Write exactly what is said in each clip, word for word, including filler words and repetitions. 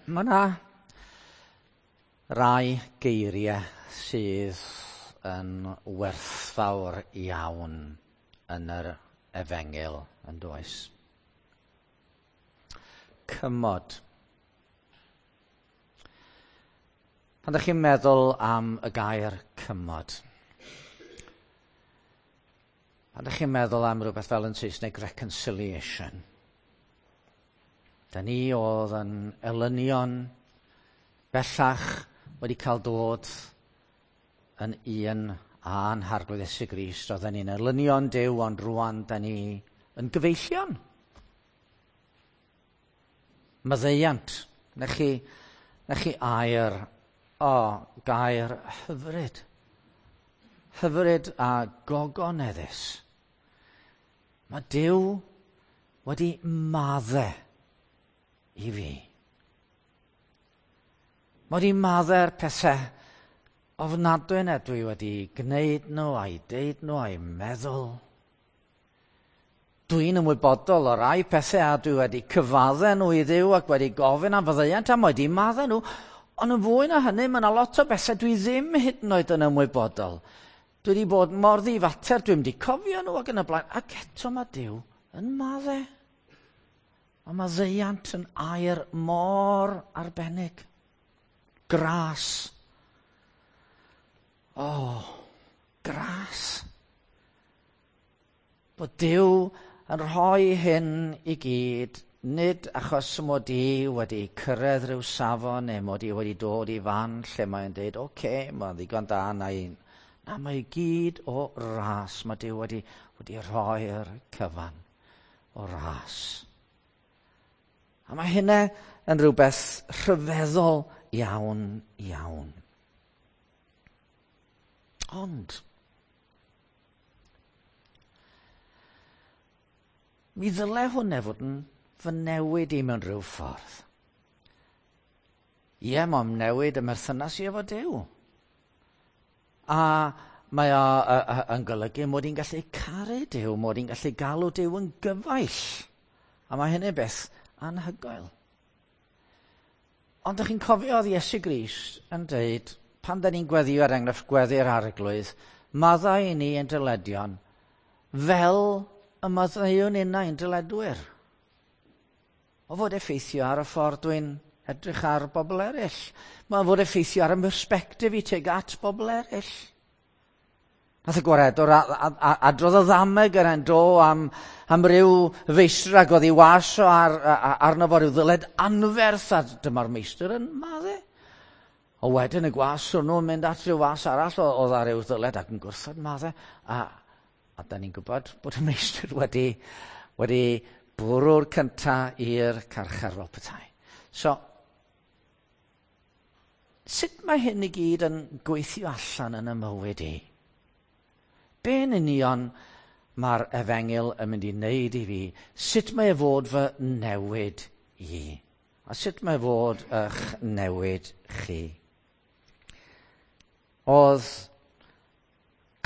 Mae yna rai geiriau sydd yn werthfawr iawn yn yr efengyl, yn does? Cymod. Pan ydych chi'n meddwl am y gair cymod, pan ydych chi'n meddwl am rhywbeth fel yn Saesneg reconciliation, da ni oedd yn elynion bellach wedi cael dod yn un a'n Harglwydd Iesu Grist. Oedden ni'n elynion Duw, ond rwan da ni yn gyfeillion. Maddeuant. Na chi, na chi air, o, gair hyfryd. Hyfryd a gogoneddus. Mae Duw wedi maddau i fi. Mae wedi maddau'r pethau ofnadwy yna dwi wedi gwneud nhw, a'i deud nhw, a'i meddwl. Dwi'n ymwybodol o rai pethau a dwi wedi cyfaddau nhw i Dduw ac wedi gofyn am faddeuant a mae wedi maddau nhw. Ond yn fwy na hynny, mae yna lot o bethau dwi ddim hyd yn oed yn ymwybodol. Dwi wedi bod mor ddifater, dwi'n wedi cofio nhw ac yn y blaen. Ac eto mae Duw yn maddau. Mae maddeuant yn air mor arbennig. Gras. O, oh, gras. Bod Duw yn rhoi hyn i gyd, nid achos mod i wedi cyrraedd rhyw safon neu mod i wedi dod i fan lle mae'n dweud, oce, okay, mae'n ddigon da na un. Na, mae i gyd o ras. Mae Duw wedi, wedi rhoi'r cyfan o ras. A mae hynna yn rhywbeth rhyfeddol iawn, iawn. Ond, mi ddyle hwnna fod yn fy newid i mewn rhyw ffordd. Ie, mae'n newid y merthynas i efo Duw. A mae o a, a, yn golygu mod i'n gallu caru Duw, mod i'n gallu galw Duw yn gyfaill. A mae hynny'n beth anhygoel. Ond ydych chi'n cofio oedd Iesu Grist yn dweud, pan da ni'n gweddio er enghraifft gweddi'r Arglwydd, maddau i ni yn dyledion, fel y maddeuwn innau yn dyledwyr. O fod effeithio ar y ffordd dwi'n edrych ar bobl eraill. Mae fod effeithio ar y perspectif i tuag at bobl eraill. Nath y gwaredwr adrodd y ddameg yr en do am, am ryw feistr ac oedd ei was o ar, arno fo ryw ddyled anferth, a dyma'r meistr yn madde. O wedyn y gwas hwnnw'n mynd at ryw was arall oedd ar ryw ddyled ac yn gwrthod madde. A, a da ni'n gwybod bod y meistr wedi, wedi bwrw'r cynta i'r carchar fel petai. So, sut mae hyn i gyd yn gweithio allan yn y mywyd i? Be yn union mae'r efengyl yn mynd i wneud i fi? Sut mae e fod fy newid i? A sut mae fod eich newid chi? Oedd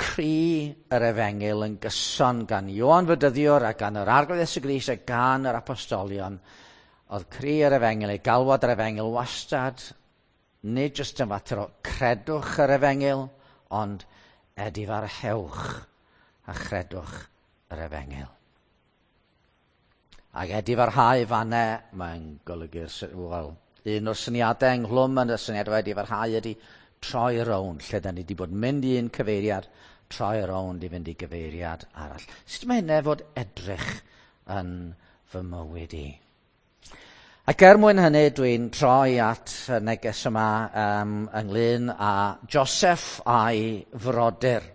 cri yr efengyl yn gyson gan Ioan Fedyddiwr a gan yr Arglwydd Iesu Grist a gan yr apostolion. Oedd cri yr efengyl, ei galwad yr efengyl wastad, nid jyst yn fater o credwch yr efengyl, ond edifarhewch a chredwch yr efengyl. Ac edifarhau fanne, mae'n golygu'r, wel, un o'r syniadau ynghlwm yn y syniad o edifarhau ydy troi rownd, lle da ni wedi bod mynd i un cyfeiriad, troi rownd i fynd i gyfeiriad arall. Sut mae hynny fod edrych yn fy mywyd i? Ac er mwyn hynny, dwi'n troi at y neges yma um, ynglyn â Joseph a'i frodyr.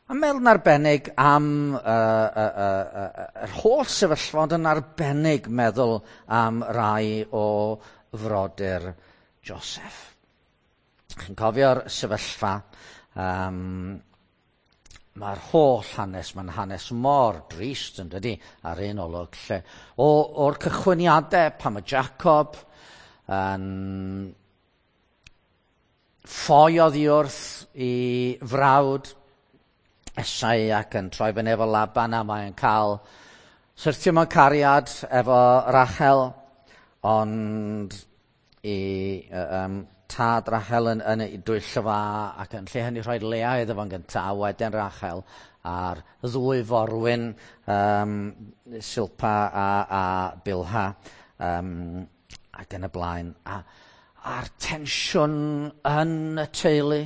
A meddwl yn arbennig am uh, uh, uh, uh, yr holl sefyllfa, ond yn arbennig meddwl am rai o frodyr Joseph. Chi'n cofio'r sefyllfa, um, mae'r holl hanes, mae'n hanes mor drist yn dydi, ar un olwg, lle o, o'r cychwyniadau pan mae Jacob yn ffoi oddi wrth i frawd Esau ac yn troi fyny efo Laban, a mae'n cael syrthio mewn cariad efo Rachel, ond i um, tad Rachel yn, yn ei dwyllo fa, ac yn lle hynny rhoi Lea iddo fo'n gyntaf, a wedyn Rachel, a'r ddwy forwyn, um, Silpa a, a Bilha, um, ac yn y blaen. A, a'r tensiwn yn y teulu,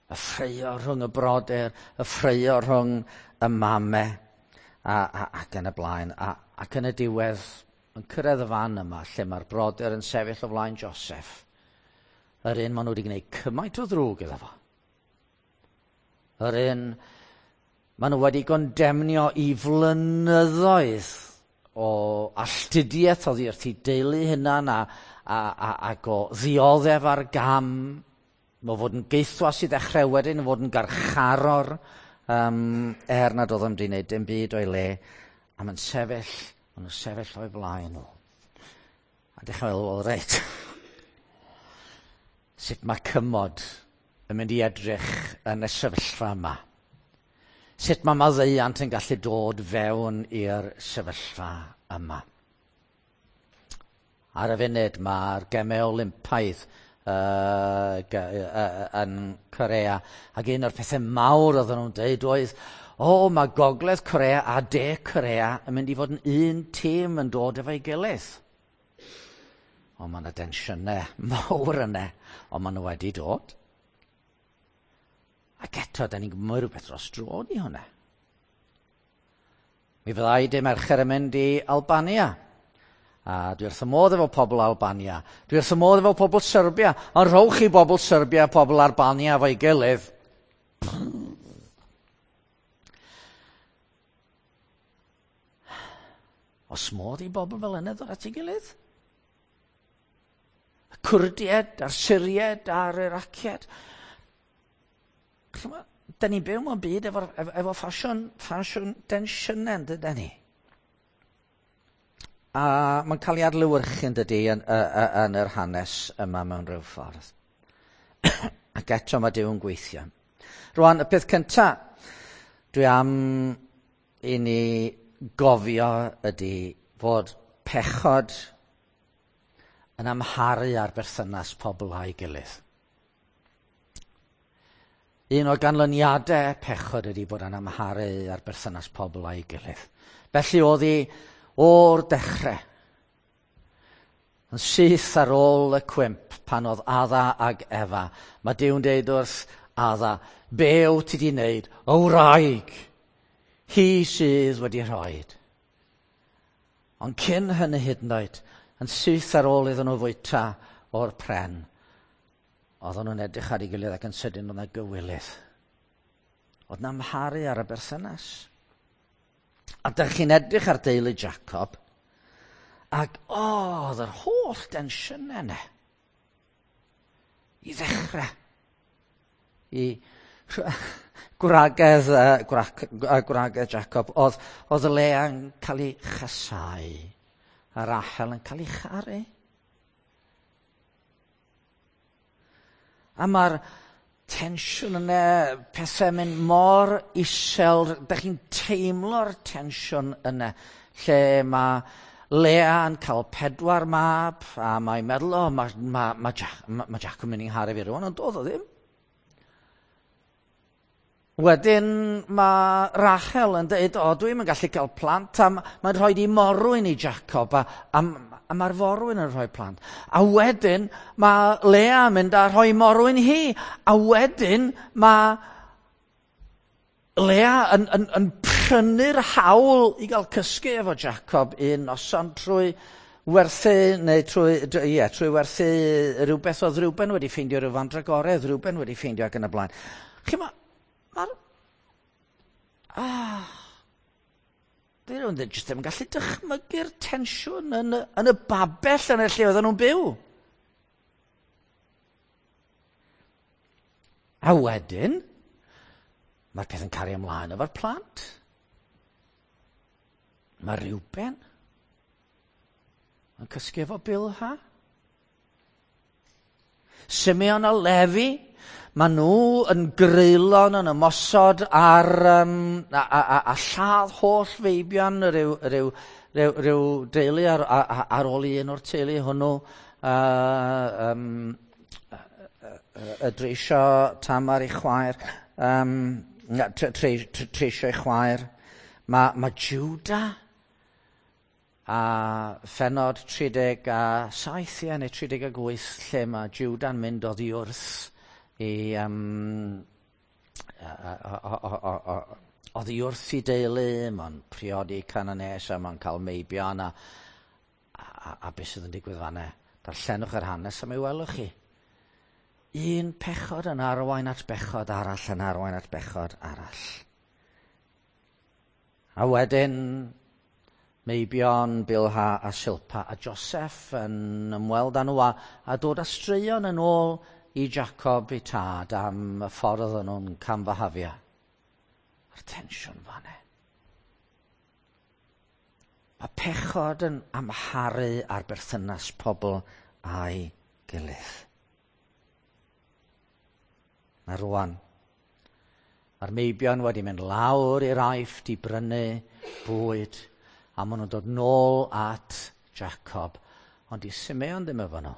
y ffraeo rhwng y brodyr, y ffraeo rhwng y mame, a, a, ac yn y blaen. A, ac yn y diwedd, yn cyrraedd y fan yma, lle mae'r brodyr yn sefyll o flaen Joseph, yr un maen nhw wedi gwneud cymaint o ddrwg iddo fo. Yr un maen nhw wedi gondemnio i flynyddoedd o alltudiaeth oddi wrth ei deulu hunan a, a, a, ac o ddioddef ar gam, o fod yn gaethwas i ddechrau wedyn, o fod yn garcharor, um, er nad oedd o'n wedi gwneud dim byd o'i le, a mae'n sefyll, maen nhw'n sefyll o'i flaen nhw. A dechrau meddwl, wel reit, sut mae cymod yn mynd i edrych yn y sefyllfa yma? Sut mae maddeuant yn gallu dod fewn i'r sefyllfa yma? Ar y funud mae'r Gemau Olympaidd uh, uh, yn Corea, ac un o'r pethau mawr oedden nhw'n dweud oedd, o, mae Gogledd Corea a De Corea yn mynd i fod yn un tîm yn dod efo'i gilydd. O, mae yna densiynau mawr yna, ond maen nhw wedi dod. Ac eto, da ni'n gwybod rhywbeth dros dro ni hwnna. Mi fyddai dy Mercher yn mynd i Albania. A dwi wrth y modd efo pobl Albania. Dwi wrth y modd efo pobl Serbia. Ond rhowch chi bobl Serbia a pobl Albania efo'i gilydd. Os modd i bobl fel yna ddod at ei gilydd? Y Cwrdiaid, a'r Syriaid, a'r Iraciaid. Da ni'n byw mewn byd efo, efo, efo ffasiwn, ffasiwn densiynau, dyda ni? A mae'n cael ei adlewyrchu yn dydy yn, yn, yn yr hanes yma mewn rhyw ffordd. Ac eto mae Duw yn gweithio. Rwan, y peth cyntaf dwi am i ni gofio ydy fod pechod yn amharu ar berthynas pobl a'i gilydd. Un o ganlyniadau pechod ydy bod yn amharu ar berthynas pobl a'i gilydd. Felly oedd hi o'r dechrau, yn syth ar ôl y cwymp pan oedd Adda ag Efa. Mae Duw'n deud wrth Adda, be wyt ti di wneud? O wraig, hi sydd wedi rhoid. Ond cyn hynny hyd yn oed, yn syth ar ôl iddyn nhw fwyta o'r pren, oedden nhw'n edrych ar ei gilydd ac yn sydyn oedd yna gywilydd. Oedd 'na amharu ar y berthynas. A dych chi'n edrych ar deulu Jacob, ac o, oedd yr holl densiynau yna. I ddechrau. I gwragedd, uh, gwrag, uh, gwragedd Jacob, oedd, oedd Lea yn cael ei chasau, a Rachel yn cael ei charu. A mae'r tensiwn yna, pethau mynd mor isel, dych chi'n teimlo'r tensiwn yna, lle mae Lea yn cael pedwar mab, a mae'n meddwl, o, mae, mae, mae, Jac, mae, mae Jac yn mynd i'n ngharu fi rwan, ond doedd o ddim. Wedyn mae Rachel yn dweud, o, dwi'm yn gallu cael plant, a mae'n rhoi i morwyn i Jacob, a, a, a mae'r forwyn yn rhoi plant. A wedyn mae Lea yn mynd a rhoi morwyn hi, a wedyn mae Lea yn, yn, yn prynu'r hawl i gael cysgu efo Jacob un noson trwy werthu, neu trwy, ie, trwy werthu rhywbeth oedd Reuben wedi ffeindio, rhyw fandragoredd Reuben wedi ffeindio ac yn y blaen. Chi ma, mae'r... Ah, dyn nhw'n jyst ddim yn gallu dychmygu'r tensiwn yn y, yn y babell yn y lle oedden nhw'n byw. A wedyn, mae'r peth yn cario ymlaen efo'r plant. Mae Reuben yn cysgu efo Bilha. Simeon a Lefi, Maen nhw yn greulon yn ymosod ar um, a, a, a, a lladd holl feibion rhyw, rhyw, rhyw, rhyw deulu ar, ar, ar ôl un o'r teulu hwnnw. Uh, um, y dreisio Tamar i chwaer, um, tre, tre, treisio i chwaer. Mae, mae Judah a phenod tri deg a saith, ie, neu tri deg a wyth, lle mae Judah'n mynd oddi wrth i um, oddi wrth i deulu, mae'n priodi Cananes a mae'n cael meibion a, a, a beth sydd yn digwydd fan'na. Darllenwch yr hanes a mi welwch chi. Un pechod yn arwain at bechod arall yn arwain at bechod arall. A wedyn meibion Bilha a Silpa a Joseph yn ymweld â nhw a, a dod â straeon yn ôl i Jacob i tad am y ffordd oedden nhw'n camfahafio. A'r tensiwn fan'na. Mae pechod yn amharu ar berthynas pobl a'i gilydd. Na rwan, mae'r meibion wedi mynd lawr i'r Aifft i brynu bwyd, a maen nhw'n dod nôl at Jacob, ond di Simeon ddim efo nhw.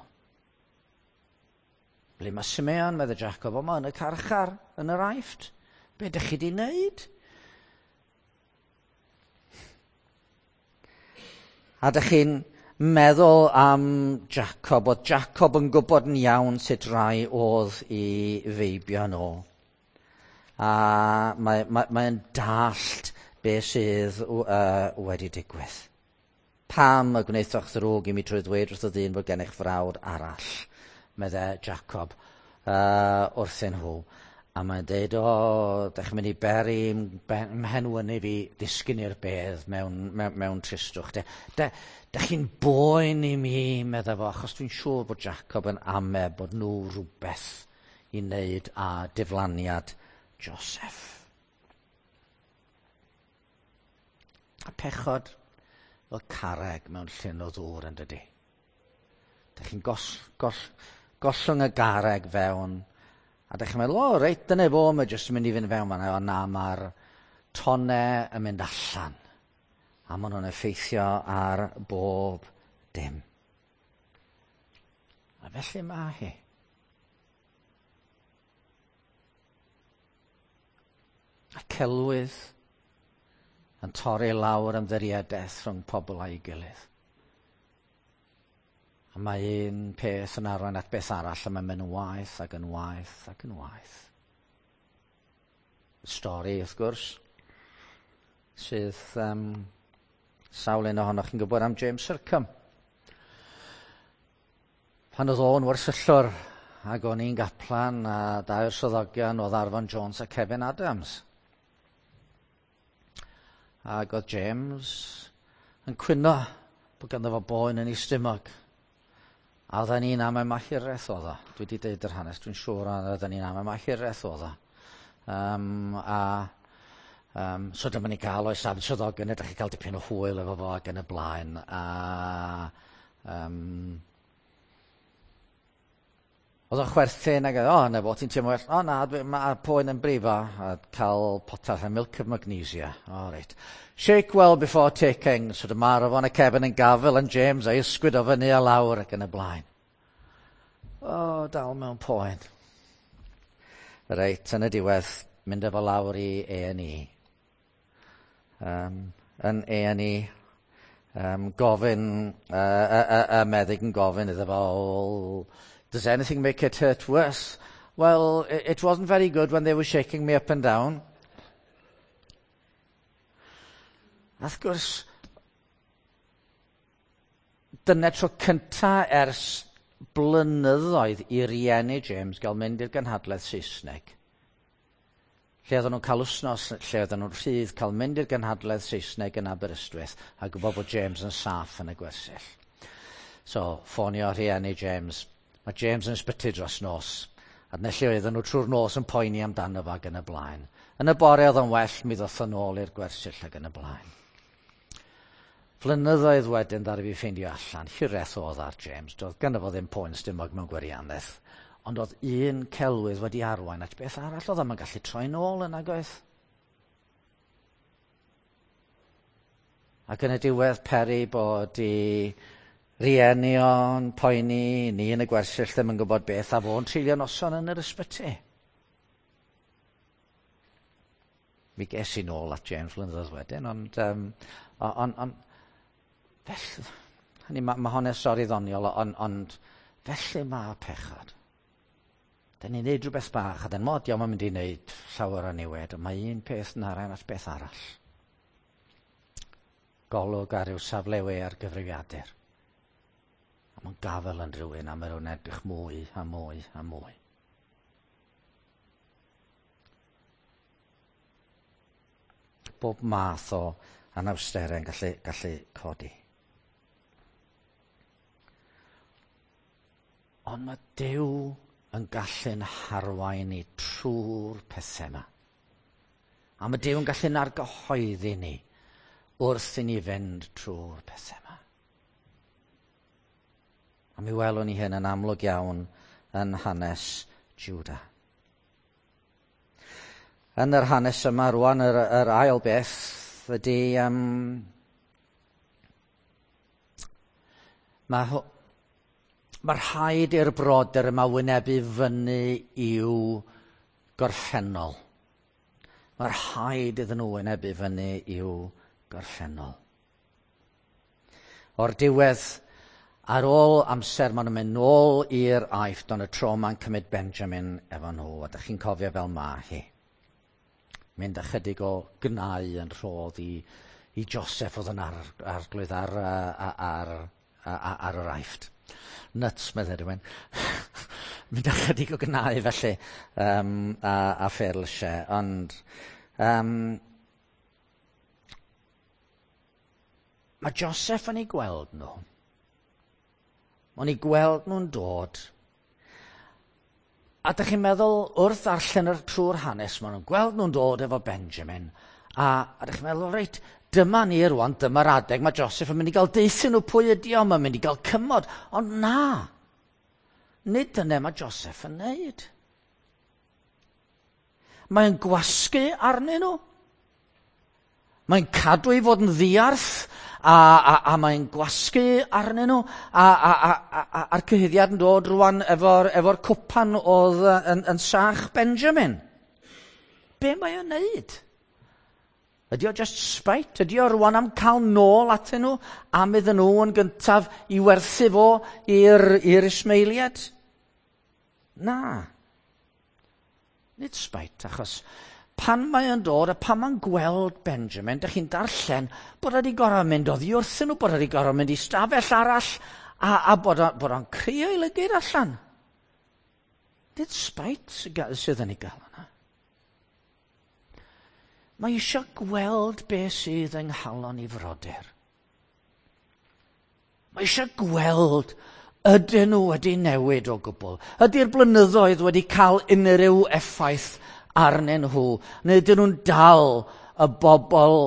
Ble mae Simeon, medde Jacob, o ma yn y carchar, yn yr Aifft. Be ydych chi di wneud? A ydych chi'n meddwl am Jacob, oedd Jacob yn gwybod yn iawn sut rai oedd i feibio nhw. A mae, mae, mae'n dallt beth sydd uh, wedi digwydd. Pam y gwnaethoch ddrwg i mi trwy ddweud wrth y ddyn bod gennych frawd arall, medde Jacob uh, wrthyn nhw. A mae'n dweud, o, dych chi'n mynd i beri mhenwynu fi ddisgyn i'r bedd mewn, mewn, mewn tristwch. De, de, dych chi'n boen i mi, medde fo, achos dwi'n siŵr bod Jacob yn ame bod nhw rhywbeth i wneud â diflaniad Joseph. A pechod fel carreg mewn llyn o ddŵr yn dydi. Dych chi'n gos, gos, gollwng y garreg fewn, a dych chi'n meddwl, o, reit, dyna fo, mae jyst yn mynd i fynd fewn fan'na. O na, mae'r tonnau yn mynd allan. A maen nhw'n effeithio ar bob dim. A felly mae hi. A celwydd yn torri lawr ymddiriedaeth rhwng pobl a'i gilydd. A mae un peth yn arwain at beth arall, a mae'n mynd yn waeth ac yn waeth ac yn waeth. Stori, wrth gwrs, sydd um, sawl un ohonoch chi'n gwybod am James Sircombe. Pan oedd o'n wersyllwr ac o'n i'n gaplan a dau o'r swyddogion oedd Arfon Jones a Kevin Adams. Ac oedd James yn cwyno bod ganddo fo boen yn ei stumog. A oedden ni'n am y hiraeth oedd o. Dwi wedi deud yr hanes, dwi'n siŵr oedden ni'n am y hiraeth oedd o. Um, a, um, so dyma ni gael oes am swyddogion, ydych chi cael dipyn o hwyl efo fo ac yn y blaen. A, um, oedd o'n chwerthin ac oedd, o, na fo, ti'n teimlo well, o na, mae poen yn brifo, a cael potell a milk of magnesia. O, reit. Shake well before taking, so dyma Arfon a Kevin yn gafel yn James a'i ysgwyd o fyny a lawr ac yn y blaen. O, dal mewn poen. Reit, yn y diwedd, mynd efo lawr i A and E. Um, yn A and E, um, gofyn, uh, y, y, y meddyg yn gofyn iddo fo, does anything make it hurt worse? Well, it wasn't very good when they were shaking me up and down. A wrth gwrs, dyna tro cynta ers blynyddoedd i rieni James gael mynd i'r gynhadledd Saesneg. Lle oedden nhw'n cael wsnos, lle oedden nhw'n rhydd cael mynd i'r gynhadledd Saesneg yn Aberystwyth a gwybod bod James yn saff yn y gwersyll. So, ffonio rhieni James. Mae James yn ysbyty dros nos. A dyna lle oedden nhw trwy'r nos yn poeni amdano fo ac yn y blaen. Yn y bore oedd yn well, mi ddoth yn ôl i'r gwersyll ac yn y blaen. Flynyddoedd wedyn ddaru fi ffeindio allan, hiraeth oedd ar James, doedd gynno fo ddim poen stumog mewn gwirionedd, Ond oedd un celwydd wedi arwain at beth arall, oedd o'm yn gallu troi nôl yn nagoedd. Ac yn y diwedd peri bod i rieni o'n poeni, ni yn y gwersyll ddim yn gwybod beth, a fo'n treulio noson yn yr ysbyty. Mi ges i nôl at James flynyddoedd wedyn, ond, um, on, on, felly, hynny, mae ma hon yn stori ddoniol, ond, ond felly mae pechod. Da ni'n neud rhywbeth bach, a dyn mod, diolch yn mynd i wneud llawer o niwed, ond mae un peth yn arwain at beth arall. Golwg ar ryw safle we ar gyfrifiadur. A mae'n gafel yn rhywun, a mae rhywun edrych mwy a mwy a mwy. Bob math o anawsterau yn gallu, gallu codi. Ond mae Duw yn gallu'n harwain ni trwy'r pethau yma. A mae Duw yn gallu'n argyhoeddi ni wrth i ni fynd trwy'r pethau yma. A mi welwn ni hyn yn amlwg iawn yn hanes Juda. Yn yr hanes yma rwan, yr, yr ail beth ydy... Um, mae mae rhaid i'r brodyr yma wynebu fyny i'w gorffennol. Mae rhaid iddyn nhw wynebu fyny i'w gorffennol. O'r diwedd, ar ôl amser, maen nhw'n mynd nôl i'r Aifft, ond y tro ma'n cymryd Benjamin efo nhw, a dych chi'n cofio fel ma hi. Mynd ychydig o gnau yn rhodd i, i Joseph oedd yn ar, arglwydd ar, ar, ar, ar, ar yr Aifft. Nuts, meddai rhywun. Mynd ychydig o gnau felly um, a, a fferlysiau, ond um, mae Joseph yn ei gweld nhw. Mae'n ei gweld nhw'n dod. A dych chi'n meddwl, wrth ddarllen yr trwy'r hanes, maen nhw'n gweld nhw'n dod efo Benjamin. A, a dych chi'n meddwl, reit, dyma ni rwan, dyma'r adeg, mae Joseph yn mynd i gael deutha nhw pwy ydi o, mae'n mynd i gael cymod. Ond na, nid dyna mae Joseph yn neud. Mae'n gwasgu arnyn nhw. Mae'n cadw i fod yn ddiarth, a, a, a mae'n gwasgu arnyn nhw, a, a, a, a, a'r cyhuddiad yn dod rwan efo'r efo cwpan oedd yn, yn sach Benjamin. Be mae o'n neud? Ydy o just spite? Ydy o rwan am cael nôl atyn nhw, am iddyn nhw yn gyntaf i werthu fo i'r, i'r Ismaeliad? Na. Nid spite, achos pan mae o'n dod a pan mae'n gweld Benjamin, dych chi'n darllen bod wedi gorfod mynd oddi wrthyn nhw, bod wedi gorfod mynd i stafell arall, a, a bod, o, bod o'n crio ei lygaid allan. Nid spite sydd yn ei gael yna. Mae eisiau gweld beth sydd yng nghalon ei frodyr. Mae eisiau gweld ydyn nhw wedi newid o gwbl. Ydy'r blynyddoedd wedi cael unrhyw effaith arnyn nhw, neu ydyn nhw'n dal y bobl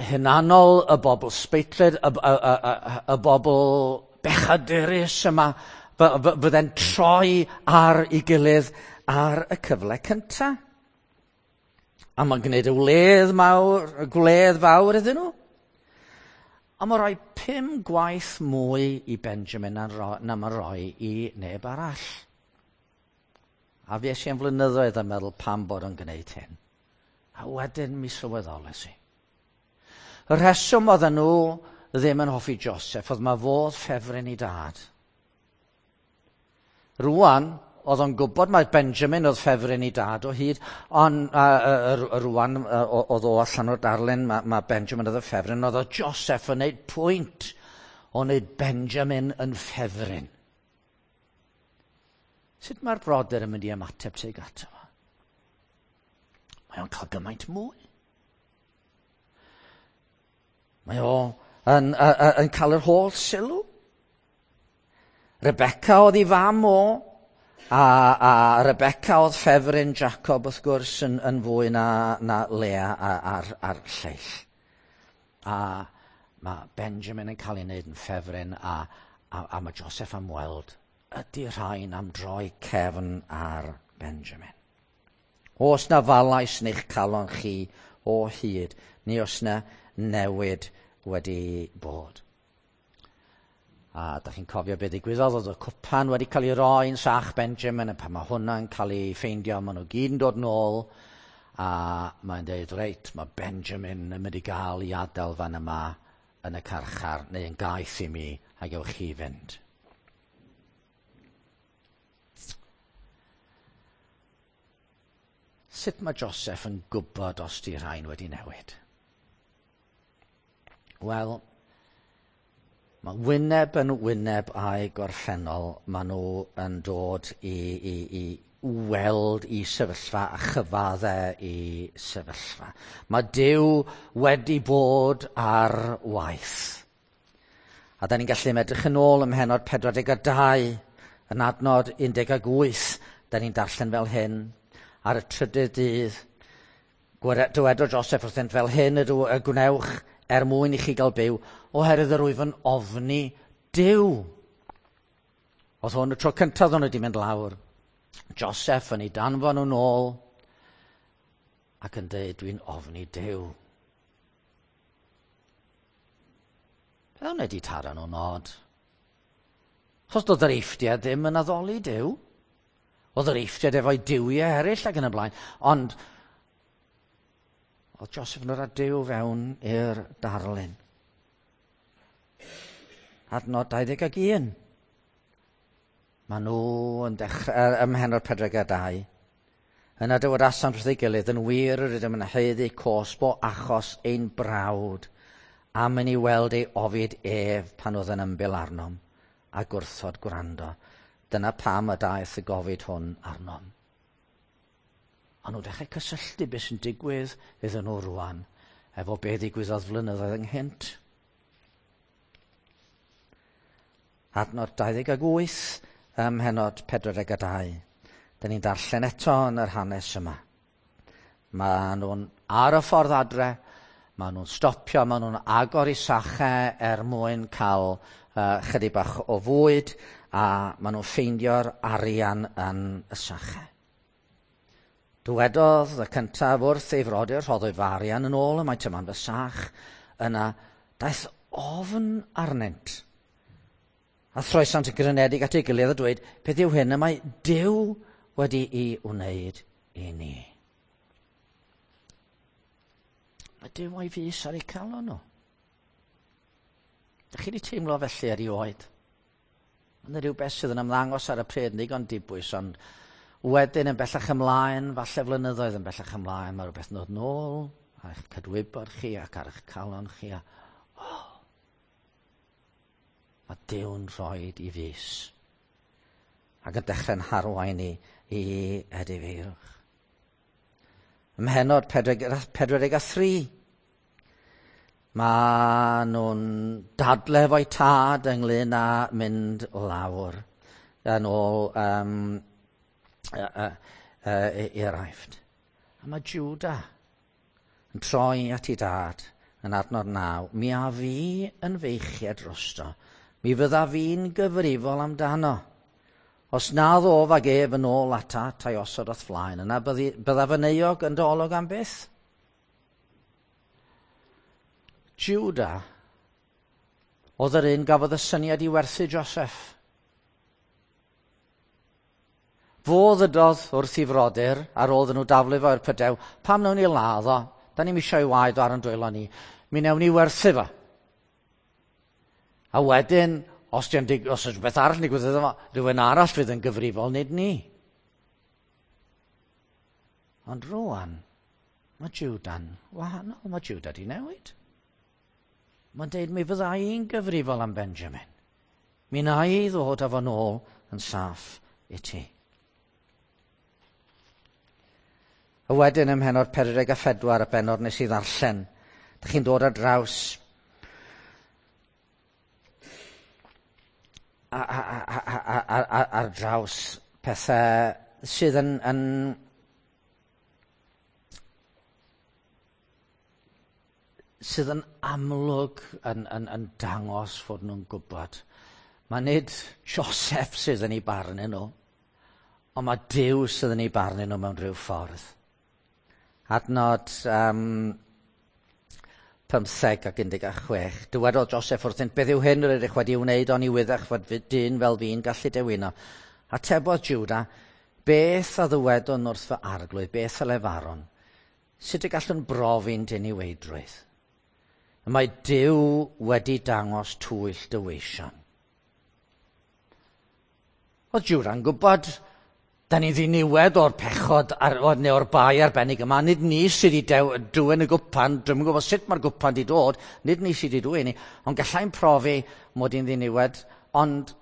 hunanol, y bobl sbeitlyd, y, y, y, y, y bobl bechadurus yma, fydde'n troi ar ei gilydd ar y cyfle cyntaf. A mae'n gwneud y wledd mawr, y gwledd fawr iddyn nhw. A mae'n rhoi pum gwaith mwy i Benjamin na, na mae'n rhoi i neb arall. A fues i am flynyddoedd yn meddwl pam bod o'n gwneud hyn. A wedyn mi sylweddoles i. Y rheswm oedden nhw ddim yn hoffi Joseph oedd mae fodd ffefryn i dad. Rwan, oedd o'n gwybod mai Benjamin oedd ffefryn i dad o hyd, ond uh, rwan oedd o allan o'r darlun, mae, mae Benjamin oedd y ffefryn, oedd o Joseph yn gwneud pwynt o wneud Benjamin yn ffefryn. Sut mae'r brodyr yn mynd i ymateb tuag ato fo? Mae o'n cael gymaint mwy. Mae o yn, yn, yn cael yr holl sylw. Rebecca oedd ei fam o, a, a Rebecca oedd ffefryn Jacob wrth gwrs yn, yn fwy na, na Lea a'r, a'r lleill. A mae Benjamin yn cael ei wneud yn ffefryn, a, a, a mae Joseph am weld Ydy rhain am droi cefn ar Benjamin? Oes na falais yn eich calon chi o hyd, neu oes na newid wedi bod? A da chi'n cofio beth ddigwyddodd, oedd y cwpan wedi cael ei roi yn sach Benjamin, a pan mae hwnna'n cael ei ffeindio, maen nhw gyd yn dod nôl, a mae'n dweud, reit, mae Benjamin yn mynd i gael ei adael fan yma yn y carchar, neu yn gaeth i mi, a gewch chi fynd. Sut mae Joseph yn gwybod os di rhain wedi newid? Wel, mae wyneb yn wyneb a'i gorffennol, maen nhw yn dod i, i, i weld i sefyllfa a chyfadde i sefyllfa. Mae Duw wedi bod ar waith. A da ni'n gallu edrych yn ôl ym mhennod pedwar deg dau, yn adnod un deg wyth, da ni'n darllen fel hyn. Ar y trydydd dydd, dywedodd Joseph wrthynt, fel hyn ydw y gwnewch er mwyn i chi gael byw, oherwydd yr wyf yn ofni Duw. Oedd hwn y tro cyntaf o'n wedi mynd lawr. Joseph yn ei danfon nhw'n ôl ac yn dweud, dwi'n ofni Duw. Fel wna wedi taro nhw'n od. Chos doedd yr Eifftiaid ddim yn addoli Duw. Oedd yr Eifftiaid efo'i duwiau eraill ac yn y blaen. Ond oedd Joseph yn dod â Duw fewn i'r darlun. Adnod dau ddeg ag un. Maen nhw yn dechrau ym mhennod pedwar deg dau. Yna dywedasant wrth ei gilydd, yn wir yr ydym yn haeddu cosb o achos ein brawd, am i ni weld ei ofid ef pan oedd yn ymbil arnom, a gwrthod gwrando. Dyna pam y daeth y gofid hwn arnom. Ond nhw'n dechrau cysylltu beth sy'n digwydd iddyn nhw rwan, efo beth ddigwyddodd flynyddoedd ynghynt. Adnod dau ddeg wyth ym mhennod pedwar deg dau. Dyn ni'n darllen eto yn yr hanes yma. Maen nhw'n ar y ffordd adre, maen nhw'n stopio, maen nhw'n agor eu sachau er mwyn cael uh, chydig bach o fwyd, a maen nhw'n ffeindio'r arian yn y sachau. Dywedodd y cyntaf wrth ei frodyr, rhoddwyd fy arian yn ôl, y mae tyma'n fy sach. Yna daeth ofn arnynt. A throesant yn grynedig at ei gilydd a dweud, beth yw hyn y mae Duw wedi'i wneud i ni? Mae Duw a'i fys ar eu calon nhw. Dych chi wedi teimlo felly erioed? Mae yna rhywbeth sydd yn ymddangos ar y pryd yn ddigon dibwys, ond wedyn yn bellach ymlaen, falle flynyddoedd yn bellach ymlaen, mae rhywbeth yn dod nôl ar eich cydwybod chi ac ar eich calon chi. A, oh, mae Duw'n rhoi i fys ac yn dechrau'n harwain ni i edifeirwch. Ym mhennod pedwar deg a thri, mae nhw'n dadle efo'i tad ynglyn â mynd lawr yn ôl um, uh, uh, i'r Aifft. A mae Judah yn troi at ei dad yn adnod naw. Mi a fi yn feichiad drosto. Mi fydda fi'n gyfrifol amdano. Os na ddof ag ef yn ôl atat a'i osod o'th flaen, yna byddaf yn euog yn dy olwg am byth. Judah oedd yr un gafodd y syniad i werthu Joseph. Fo ddydodd wrth i frodyr, ar ôl iddyn nhw daflu fo i'r pydew, pam wnawn ni ladd o? Da ni'm eisiau ei waed o ar yn dwylo ni. Mi wnawn ni werthu fo. A wedyn, os di'n dig- os oes rhywbeth arall yn digwydd iddo fo, rhywun arall fydd yn gyfrifol, nid ni. Ond rwan, mae Juda'n wahanol, mae Judah di newid. Mae'n deud, mi fydda i'n gyfrifol am Benjamin. Mi wna i ddod â fo nôl yn saff i ti. A wedyn ym mhennod pedwar deg a phedwar, y bennod nes i ddarllen, dych chi'n dod ar draws a, a, a, a, a, a, ar draws pethau sydd yn, yn sydd yn amlwg yn, yn, yn dangos fod nhw'n gwybod. Mae nid Joseph sydd yn ei barnu nhw, ond mae Duw sydd yn ei barnu nhw mewn rhyw ffordd. Adnod um, pymtheg ac un deg chwech. Dywedodd Joseph wrthynt, beth yw hyn yr ydych wedi wneud oni wyddech fod dyn fel fi'n gallu dewino? Atebodd Judah, beth a ddywedwn wrth fy arglwydd, beth a lefarwn? Sut y gallwn brofi'n diniweidrwydd? Y mae Duw wedi dangos twyll dy weision. Oedd Jwda'n gwybod, da ni ddiniwed o'r pechod ar, neu o'r bai arbennig yma. Nid ni sydd wedi dwyn y gwpan, dwi'm yn gwybod sut mae'r gwpan wedi dod, nid ni sydd wedi dwyn ni, ond gallai'n profi mod i'n ddiniwed, ond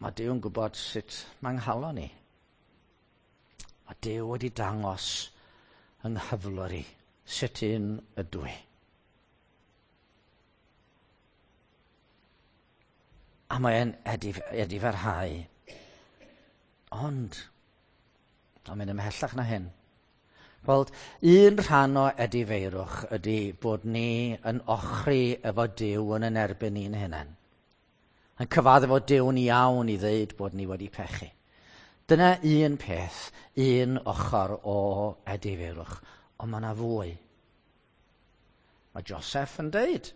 mae Duw yn gwybod sut mae'n nghalon ni. Mae Duw wedi dangos yng nghyflwr i sut un ydw i. A mae'n edif, edifarhau. Ond, mae'n mynd ymhellach na hyn. Gweld, un rhan o edifeirwch ydy bod ni yn ochri efo Duw yn yn erbyn ni'n hunain. Yn cyfaddef efo Duw'n iawn i ddeud bod ni wedi pechu. Dyna un peth, un ochr o edifeirwch, ond mae yna fwy. Mae Joseph yn deud,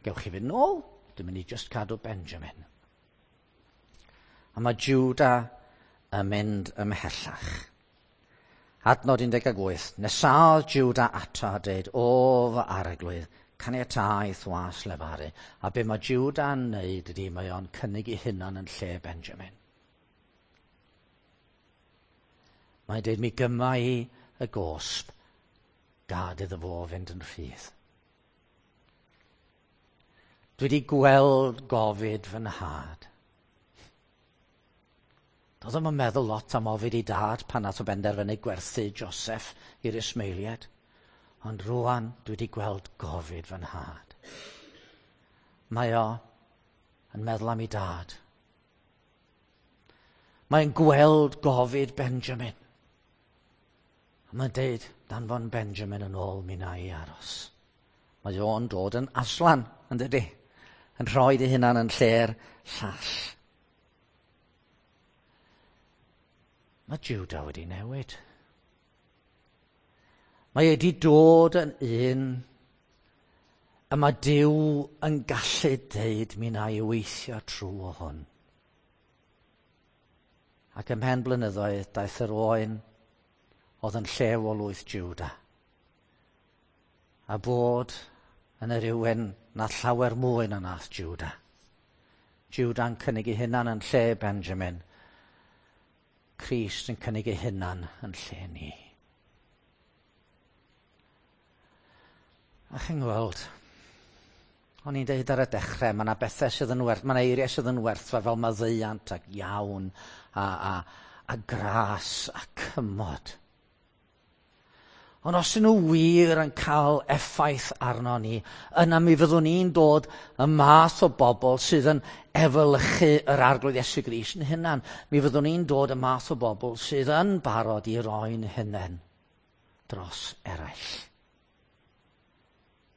gewch chi fynd nôl, dwi'n mynd i just cadw Benjamin. A mae Judah yn mynd ymhellach. Adnod un deg wyth, nesaodd Judah ato a dweud, o fy arglwydd, caniatáu was lefaru. A be mae Judah'n neud ydy, mae o'n cynnig ei hunan yn lle Benjamin. Mae'n dweud, mi gyma i y gosb, gad iddo fo fynd yn rhydd. Dwi wedi gweld gofid fy nhad. Doedd o'm yn meddwl lot am ofid ei dad pan nath o benderfynu gwerthu Joseph i'r Ismaeliaid. Ond rwan dwi wedi gweld gofid fy nhad. Mae o yn meddwl am ei dad. Mae'n gweld gofid Benjamin. A mae'n deud, danfon Benjamin yn ôl, mi na i aros. Mae o'n dod yn Aslan, yn dydi? Yn rhoi ei hunan yn lle'r llall. Mae Judah wedi newid. Mae wedi dod yn un y mae Duw yn gallu deud mi na i weithio trwy o hwn. Ac ymhen blynyddoedd daeth yr oen oedd yn llew o lwyth Judah. A bod yn yr rhywun na llawer mwy na nath Judah. Judah'n cynnig ei hunan yn lle Benjamin. Crist yn cynnig ei hunan yn lle ni. A chi'n gweld, o'n i'n deud ar y dechrau, mae yna bethau sydd yn werth, mae yna eiriau sydd yn werthfawr fel maddeuant ac iawn a, a, a gras a cymod. Ond os ydyn nhw wir yn cael effaith arno ni, yna mi fyddwn ni'n dod y math o bobl sydd yn efelychu yr Arglwydd Iesu Grist yn hunan. Mi fyddwn ni'n dod y math o bobl sydd yn barod i roi'n hunain dros eraill.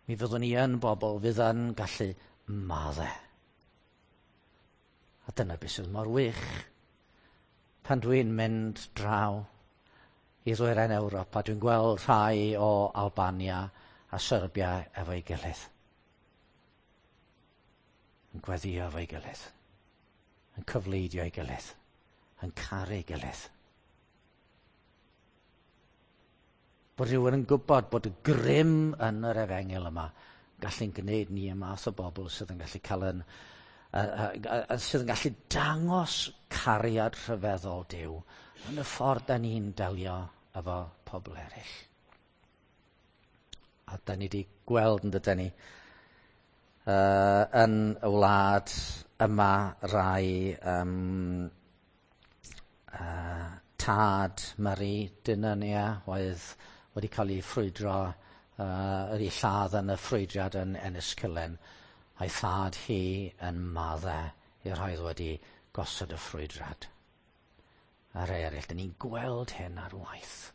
Mi fyddwn ni yn bobl fydd yn gallu maddau. A dyna beth sydd mor wych. Pan dwi'n mynd draw i ddwyrain Ewrop, a dwi'n gweld rhai o Albania a Serbia efo'i gilydd. Yn gweddio efo'i gilydd. Yn cyfleidio ei gilydd. Yn caru ei gilydd. Bod rhywun yn gwybod bod y grym yn yr efengyl yma gallu'n gwneud ni y math o bobl sydd yn gallu cael yn, uh, uh, uh, sydd yn gallu dangos cariad rhyfeddol Duw yn y ffordd da ni'n delio efo pobl eraill. A da ni wedi gweld yn dydyn ni uh, yn y wlad yma rai um, uh, tad Marie Dynania oedd wedi cael ei ffrwydro, uh, ei lladd yn y ffrwydriad yn Enniskillen, a'i thad hi yn maddau i'r rhai oedd wedi gosod y ffrwydriad. A rhai eraill, dyn ni'n gweld hyn ar waith.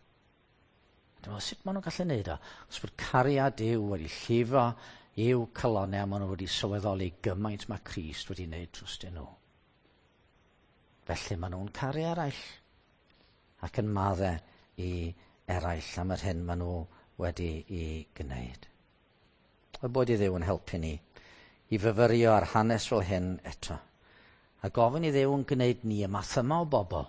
Dwi'n meddwl, sut maen nhw'n gallu neud o? Os bod cariad Duw wedi llifo I'w calonnau, a maen nhw wedi sylweddoli gymaint mae Crist wedi wneud drostyn nhw. Felly maen nhw'n caru eraill ac yn maddau i eraill am yr hyn maen nhw wedi i gwneud. Y bod i Dduw yn helpu ni i fyfyrio ar hanes fel hyn eto. A gofyn i Dduw yn gwneud ni y math yma o bobl.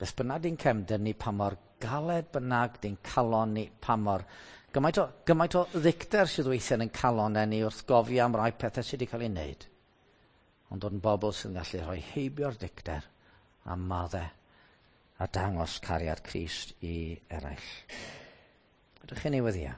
Beth bynnag di'n cefndir ni, pa mor galed bynnag di'n calon ni, pa mor... Gymaint o, gymaint o ddicter sydd weithiau yn calon ni wrth gofio am rai pethau sydd wedi cael ei wneud. Ond dod yn bobl sydd yn gallu rhoi heibio'r dicter a maddau a dangos cariad Crist i eraill. Ydych chi'n ei weddïo?